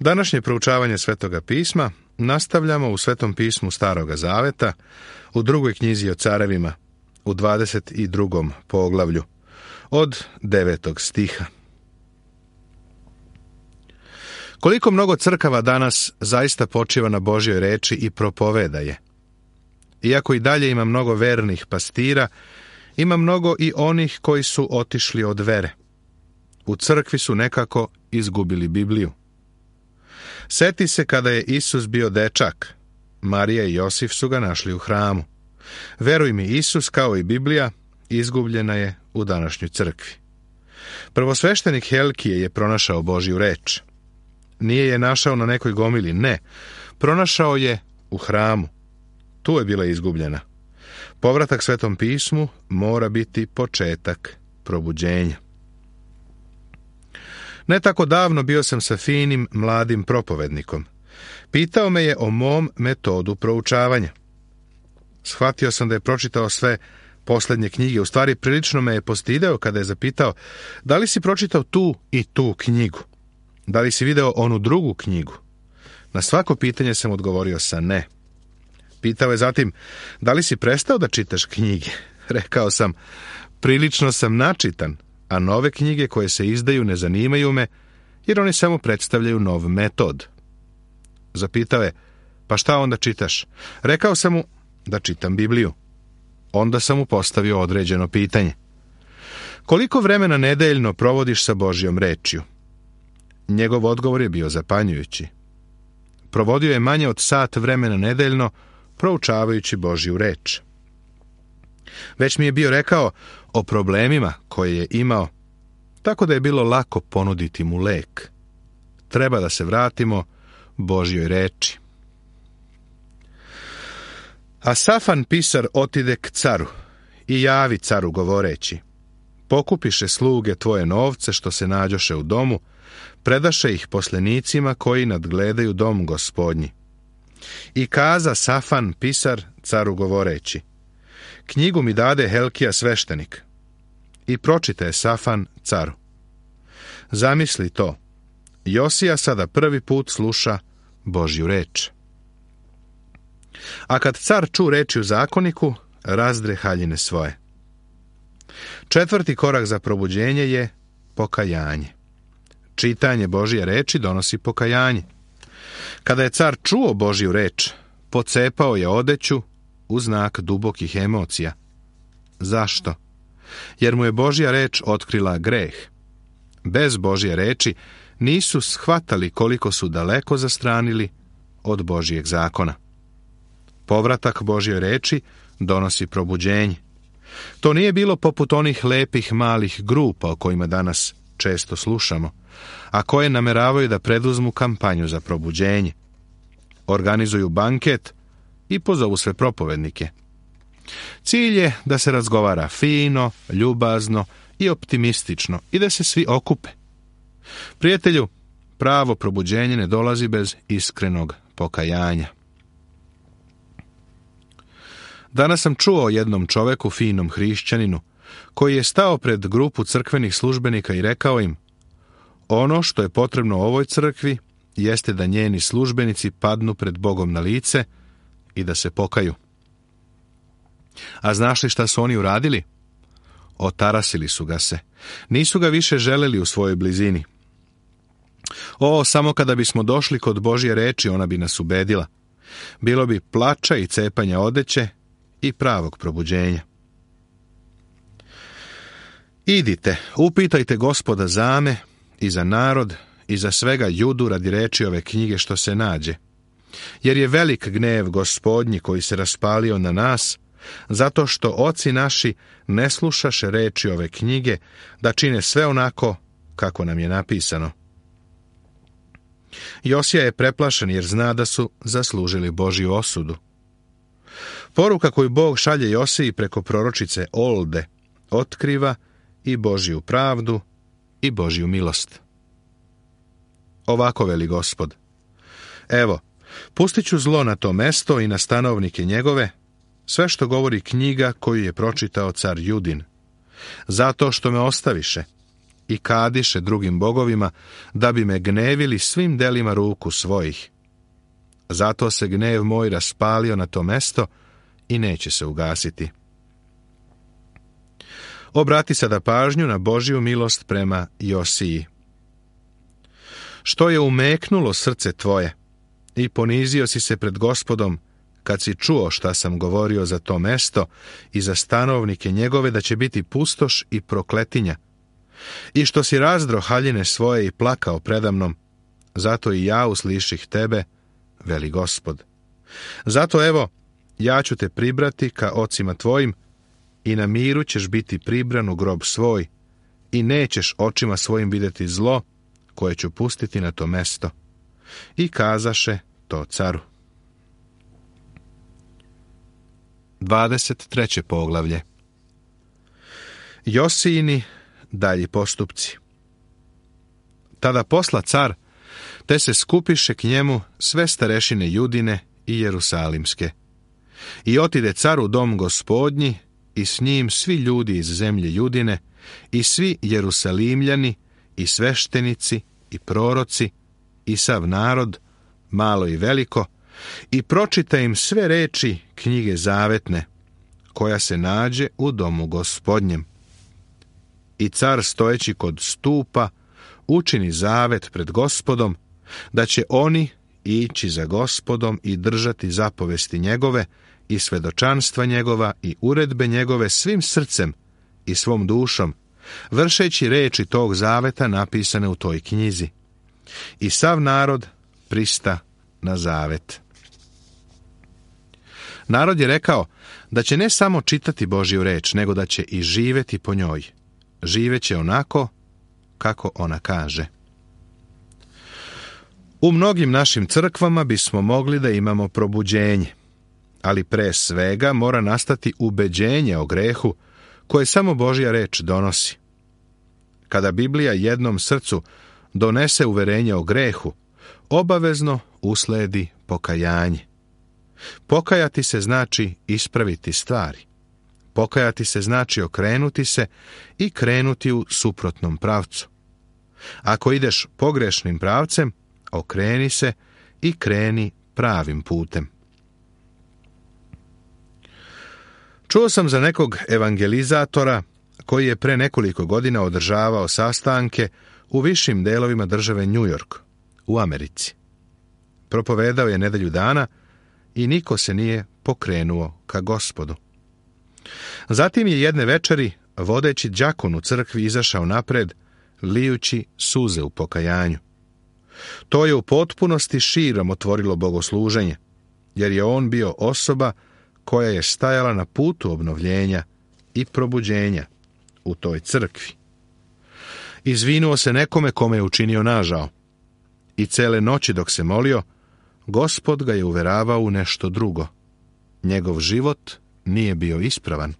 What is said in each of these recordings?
Današnje proučavanje Svetoga pisma nastavljamo u Svetom pismu Staroga zaveta, u drugoj knjizi o carevima, u 22. poglavlju, od 9. stiha. Koliko mnogo crkava danas zaista počiva na Božjoj reči i propoveda je. Iako i dalje ima mnogo vernih pastira, ima mnogo i onih koji su otišli od vere. U crkvi su nekako izgubili Bibliju. Seti se kada je Isus bio dečak. Marija i Josif su ga našli u hramu. Veruj mi, Isus, kao i Biblija, izgubljena je u današnjoj crkvi. Prvosveštenik Helkije je pronašao Božju reč. Nije je našao na nekoj gomili, ne. Pronašao je u hramu. Tu je bila izgubljena. Povratak Svetom pismu mora biti početak probuđenja. Ne tako davno bio sam sa finim, mladim propovednikom. Pitao me je o mom metodu proučavanja. Shvatio sam da je pročitao sve posljednje knjige. U stvari, prilično me je postideo kada je zapitao: da li si pročitao tu i tu knjigu? Da li si video onu drugu knjigu? Na svako pitanje sam odgovorio sa ne. Pitao je zatim: da li si prestao da čitaš knjige? Rekao sam: prilično sam načitan, a nove knjige koje se izdaju ne zanimaju me, jer oni samo predstavljaju nov metod. Zapitao je: pa šta onda čitaš? Rekao sam mu da čitam Bibliju. Onda sam mu postavio određeno pitanje: koliko vremena nedeljno provodiš sa Božjom rečju? Njegov odgovor je bio zapanjujući. Provodio je manje od sat vremena nedeljno proučavajući Božju reč. Već mi je bio rekao o problemima koje je imao, tako da je bilo lako ponuditi mu lek. Treba da se vratimo Božjoj reči. A Safan pisar otide k caru i javi caru govoreći: pokupiše sluge tvoje novce što se nađoše u domu, predaše ih poslenicima koji nadgledaju dom gospodnji. I kaza Safan pisar caru govoreći: knjigu mi dade Helkija sveštenik. I pročitaje Safan caru. Zamisli to, Josija sada prvi put sluša Božju reč. A kad car ču reči u zakoniku, razdre haljine svoje. Četvrti korak za probuđenje je pokajanje. Čitanje Božje reči donosi pokajanje. Kada je car čuo Božju reč, pocepao je odeću u znak dubokih emocija. Zašto? Jer mu je Božja reč otkrila greh. Bez Božje reči nisu shvatali koliko su daleko zastranili od Božjeg zakona. Povratak Božjoj reči donosi probuđenje. To nije bilo poput onih lepih malih grupa o kojima danas često slušamo, a koje nameravaju da preduzmu kampanju za probuđenje. Organizuju banket i pozovu sve propovednike. Cilj je da se razgovara fino, ljubazno i optimistično i da se svi okupe. Prijatelju, pravo probuđenje ne dolazi bez iskrenog pokajanja. Danas sam čuo o jednom čoveku, finom hrišćaninu, koji je stao pred grupu crkvenih službenika i rekao im: ono što je potrebno ovoj crkvi jeste da njeni službenici padnu pred Bogom na lice i da se pokaju. A znaš li šta su oni uradili? Otarasili su ga se. Nisu ga više želeli u svojoj blizini. O, samo kada bismo došli kod Božje reči, ona bi nas ubedila. Bilo bi plača i cepanja odeće i pravog probuđenja. Idite, upitajte Gospoda za me i za narod i za svega Judu radi reči ove knjige što se nađe. Jer je velik gnev Gospodnji koji se raspalio na nas, zato što oci naši ne slušaše reči ove knjige, da čine sve onako kako nam je napisano. Josija je preplašen jer zna da su zaslužili Božju osudu. Poruka koju Bog šalje Josiji preko proročice Olde otkriva i Božju pravdu i Božju milost. Ovako veli Gospod: evo, pustit ću zlo na to mesto i na stanovnike njegove, sve što govori knjiga koju je pročitao car Judin, zato što me ostaviše i kadiše drugim bogovima, da bi me gnevili svim delima ruku svojih. Zato se gnev moj raspalio na to mesto i neće se ugasiti. Obrati sada pažnju na Božju milost prema Josiji. Što je umeknulo srce tvoje i ponizio si se pred Gospodom, kad si čuo šta sam govorio za to mesto i za stanovnike njegove, da će biti pustoš i prokletinja, i što si razdro haljine svoje i plakao predamnom, zato i ja usliših tebe, veli Gospod. Zato evo, ja ću te pribrati ka ocima tvojim i na miru ćeš biti pribran u grob svoj i nećeš očima svojim vidjeti zlo koje ću pustiti na to mesto. I kazaše to caru. 23. poglavlje. Josijini dalji postupci. Tada posla car, te se skupiše k njemu sve starešine Judine i Jerusalimske. I otide car u dom Gospodnji i s njim svi ljudi iz zemlje Judine i svi Jerusalimljani i sveštenici i proroci i sav narod, malo i veliko, i pročita im sve reči knjige zavetne, koja se nađe u domu Gospodnjem. I car stojeći kod stupa učini zavet pred Gospodom, da će oni ići za Gospodom i držati zapovesti njegove i svedočanstva njegova i uredbe njegove svim srcem i svom dušom, vršeći reči tog zaveta napisane u toj knjizi. I sav narod prista na zavet. Narod je rekao da će ne samo čitati Božju reč, nego da će i živjeti po njoj. Živeće onako kako ona kaže. U mnogim našim crkvama bismo mogli da imamo probuđenje, ali pre svega mora nastati ubeđenje o grehu koje samo Božja reč donosi. Kada Biblija jednom srcu donese uverenje o grehu, obavezno usledi pokajanje. Pokajati se znači ispraviti stvari. Pokajati se znači okrenuti se i krenuti u suprotnom pravcu. Ako ideš pogrešnim pravcem, okreni se i kreni pravim putem. Čuo sam za nekog evangelizatora koji je pre nekoliko godina održavao sastanke u višim delovima države New York, u Americi. Propovedao je nedelju dana i niko se nije pokrenuo ka Gospodu. Zatim je jedne večeri, vodeći đakon u crkvi, izašao napred, lijući suze u pokajanju. To je u potpunosti širom otvorilo bogosluženje, jer je on bio osoba koja je stajala na putu obnovljenja i probuđenja u toj crkvi. Izvinuo se nekome kome je učinio nažao i cele noći dok se molio, Gospod ga je uveravao u nešto drugo. Njegov život nije bio ispravan.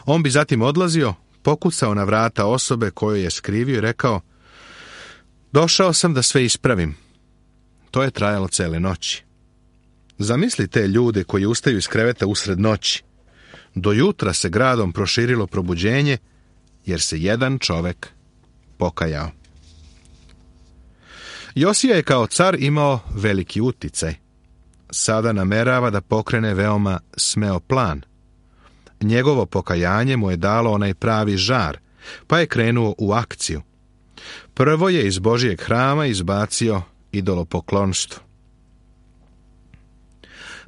On bi zatim odlazio, pokucao na vrata osobe koju je skrivio i rekao: došao sam da sve ispravim. To je trajalo cele noći. Zamisli te ljude koji ustaju iz kreveta usred noći. Do jutra se gradom proširilo probuđenje, jer se jedan čovek pokajao. Josija je kao car imao veliki uticaj. Sada namerava da pokrene veoma smeo plan. Njegovo pokajanje mu je dalo onaj pravi žar, pa je krenuo u akciju. Prvo je iz Božijeg hrama izbacio idolopoklonstvo.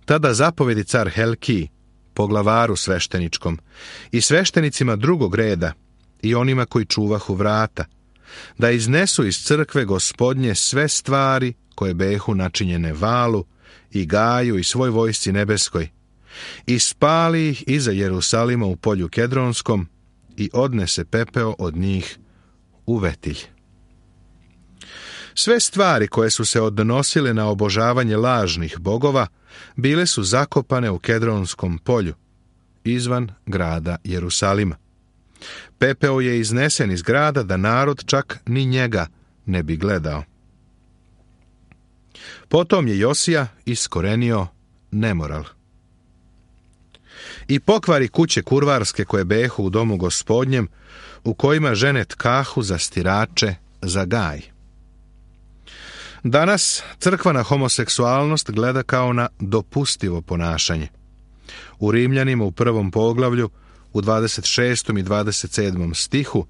Tada zapovedi car Helkij, poglavaru svešteničkom, i sveštenicima drugog reda, i onima koji čuvahu vrata, da iznesu iz crkve Gospodnje sve stvari koje behu načinjene Valu i Gaju i svoj vojsci nebeskoj, i spali ih iza Jerusalima u polju Kedronskom i odnese pepeo od njih u Vetilj. Sve stvari koje su se odnosile na obožavanje lažnih bogova bile su zakopane u Kedronskom polju, izvan grada Jerusalima. Pepeo je iznesen iz grada da narod čak ni njega ne bi gledao. Potom je Josija iskorenio nemoral. i pokvari kuće kurvarske koje behu u domu gospodnjem, u kojima žene tkahu za stirače, za gaj. Danas crkva na homoseksualnost gleda kao na dopustivo ponašanje. U Rimljanima u 1. poglavlju, u 26. i 27. stihu,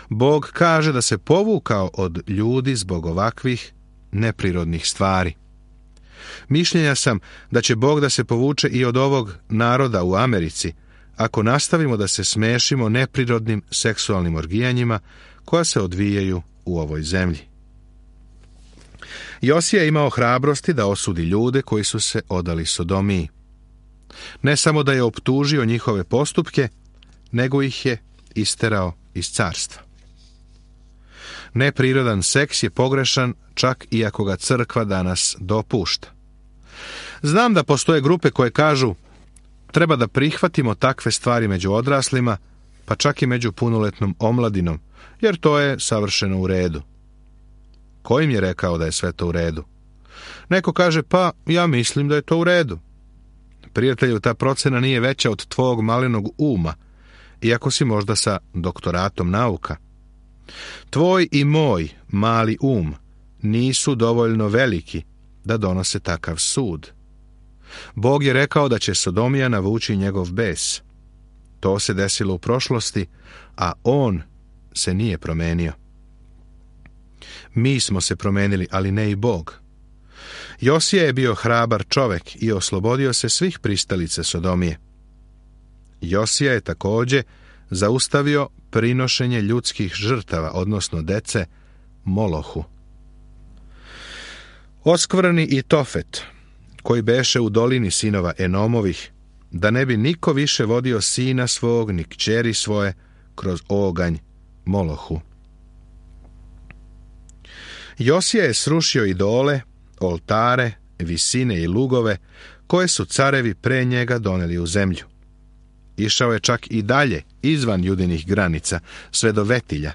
Bog kaže da se povukao od ljudi zbog ovakvih neprirodnih stvari. Mišljenja sam da će Bog da se povuče i od ovog naroda u Americi, ako nastavimo da se smešimo neprirodnim seksualnim orgijanjima koja se odvijaju u ovoj zemlji. Josija je imao hrabrosti da osudi ljude koji su se odali sodomiji. Ne samo da je optužio njihove postupke, nego ih je isterao iz carstva. Neprirodan seks je pogrešan čak i ako ga crkva danas dopušta. Znam da postoje grupe koje kažu treba da prihvatimo takve stvari među odraslima, pa čak i među punoletnom omladinom, jer to je savršeno u redu. Ko im je rekao da je sve to u redu? Neko kaže, pa ja mislim da je to u redu. Prijatelju, ta procena nije veća od tvog malenog uma, iako si možda sa doktoratom nauka. Tvoj i moj mali um nisu dovoljno veliki da donose takav sud. Bog je rekao da će sodomija navući njegov bes. To se desilo u prošlosti, a on se nije promenio. Mi smo se promenili, ali ne i Bog. Josija je bio hrabar čovek i oslobodio se svih pristalica sodomije. Josija je također zaustavio prinošenje ljudskih žrtava, odnosno dece, Molohu. Oskvrni i Tofet, koji beše u dolini sinova Enomovih, da ne bi niko više vodio sina svog ni kćeri svoje kroz oganj Molohu. Josija je srušio idole, oltare, visine i lugove, koje su carevi pre njega doneli u zemlju. Išao je čak i dalje, izvan judinih granica, sve do Vetilja.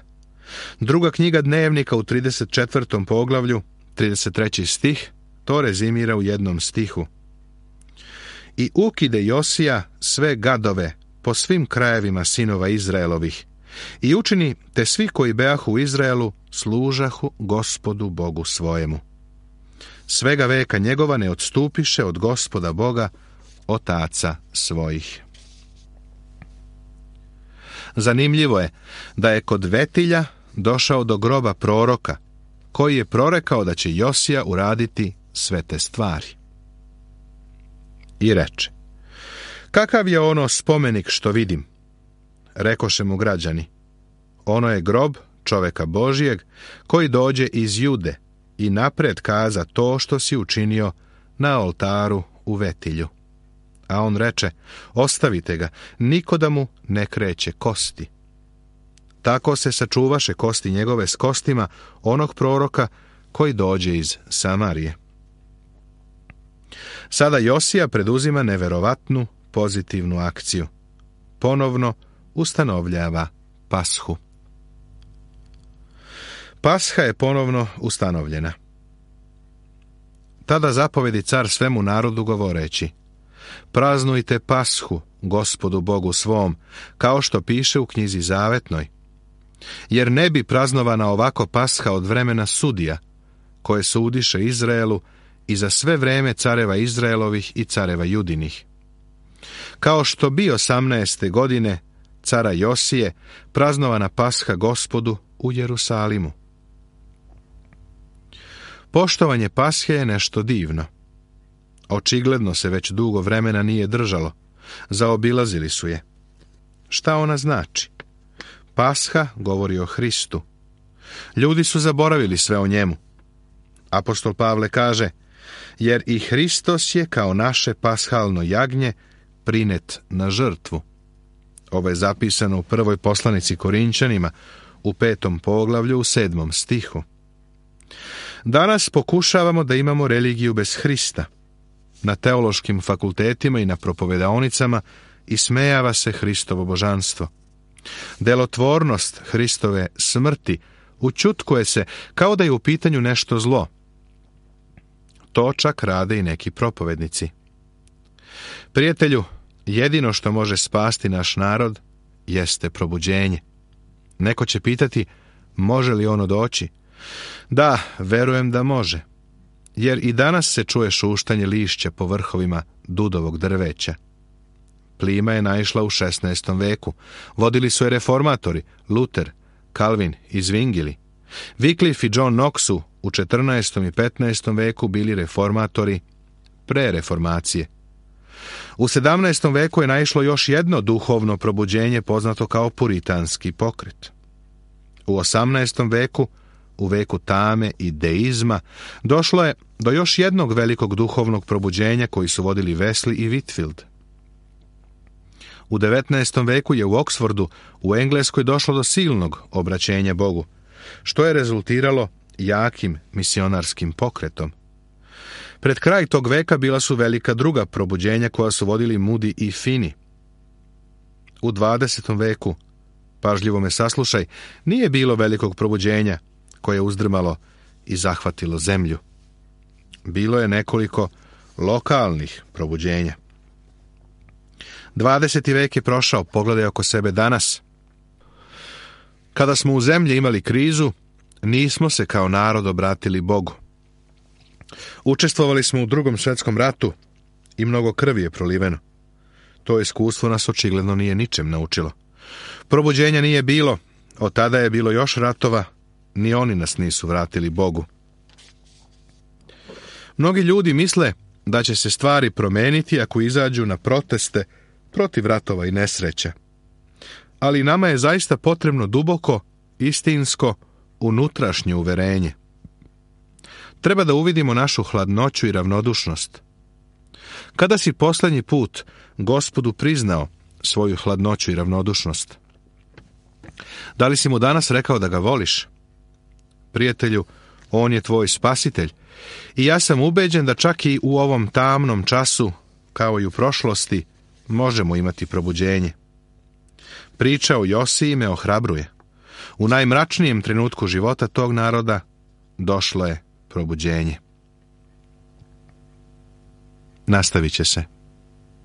Druga knjiga Dnevnika u 34. poglavlju, 33. stih, to rezimira u jednom stihu. I ukide Josija sve gadove po svim krajevima sinova Izraelovih i učini te svi koji beahu u Izraelu služahu Gospodu Bogu svojemu. Svega veka njegova ne odstupiše od Gospoda Boga, otaca svojih. Zanimljivo je da je kod Vetilja došao do groba proroka, koji je prorekao da će Josija uraditi sve te stvari. I reče, kakav je ono spomenik što vidim? Rekoše mu građani, ono je grob čoveka Božijeg koji dođe iz Jude i napred kaza to što si učinio na oltaru u Vetilju. A on reče, ostavite ga, niko da mu ne kreće kosti. Tako se sačuvaše kosti njegove s kostima onog proroka koji dođe iz Samarije. Sada Josija preduzima neverovatnu pozitivnu akciju. Ponovno ustanovljava Pashu. Pasha je ponovno ustanovljena. Tada zapovedi car svemu narodu govoreći, praznujte Pashu Gospodu Bogu svom, kao što piše u knjizi Zavetnoj. Jer ne bi praznovana ovako Pasha od vremena sudija, koje sudiše Izraelu i za sve vreme careva Izraelovih i careva Judinih. Kao što bi 18. godine cara Josije praznovana Pasha Gospodu u Jerusalimu. Poštovanje Pashe je nešto divno. Očigledno se već dugo vremena nije držalo. Zaobilazili su je. Šta ona znači? Pasha govori o Hristu. Ljudi su zaboravili sve o njemu. Apostol Pavle kaže, jer i Hristos je kao naše pashalno jagnje prinet na žrtvu. Ovo je zapisano u prvoj poslanici Korinčanima, u 5. poglavlju, u 7. stihu. Danas pokušavamo da imamo religiju bez Hrista. Na teološkim fakultetima i na propovedaonicama ismejava se Hristovo božanstvo. Delotvornost Hristove smrti učutkuje se kao da je u pitanju nešto zlo. To čak rade i neki propovednici. Prijatelju, Jedino što može spasti naš narod jeste probuđenje. Neko će pitati, može li ono doći? Da, verujem da može. Jer i danas se čuje šuštanje lišća po vrhovima dudovog drveća. Plima je naišla u 16. veku. Vodili su je reformatori, Luther, Calvin i Zwingli. Wycliffe i John Knox su u 14. i 15. veku bili reformatori pre reformacije. U 17. veku je naišlo još jedno duhovno probuđenje poznato kao puritanski pokret. U 18. veku, u veku tame i deizma, došlo je do još jednog velikog duhovnog probuđenja koji su vodili Wesley i Whitefield. U 19. veku je u Oxfordu u Engleskoj došlo do silnog obraćenja Bogu, što je rezultiralo jakim misionarskim pokretom. Pred kraj tog veka bila su velika druga probuđenja koja su vodili Moody i Finney. U 20. veku, pažljivo me saslušaj, nije bilo velikog probuđenja koje je uzdrmalo i zahvatilo zemlju. Bilo je nekoliko lokalnih probuđenja. 20. vek je prošao, pogledaj oko sebe danas. Kada smo u zemlji imali krizu, nismo se kao narod obratili Bogu. Učestvovali smo u Drugom svjetskom ratu i mnogo krvi je proliveno. To iskustvo nas očigledno nije ničem naučilo. Probuđenja nije bilo, od tada je bilo još ratova, ni oni nas nisu vratili Bogu. Mnogi ljudi misle da će se stvari promeniti ako izađu na proteste protiv ratova i nesreća. Ali nama je zaista potrebno duboko, istinsko, unutrašnje uverenje. Treba da uvidimo našu hladnoću i ravnodušnost. Kada si posljednji put Gospodu priznao svoju hladnoću i ravnodušnost? Da li si mu danas rekao da ga voliš? Prijatelju, on je tvoj spasitelj i ja sam ubeđen da čak i u ovom tamnom času, kao i u prošlosti, možemo imati probuđenje. Priča o Josiji me ohrabruje. U najmračnijem trenutku života tog naroda došlo je probuđenje. Nastavit će se.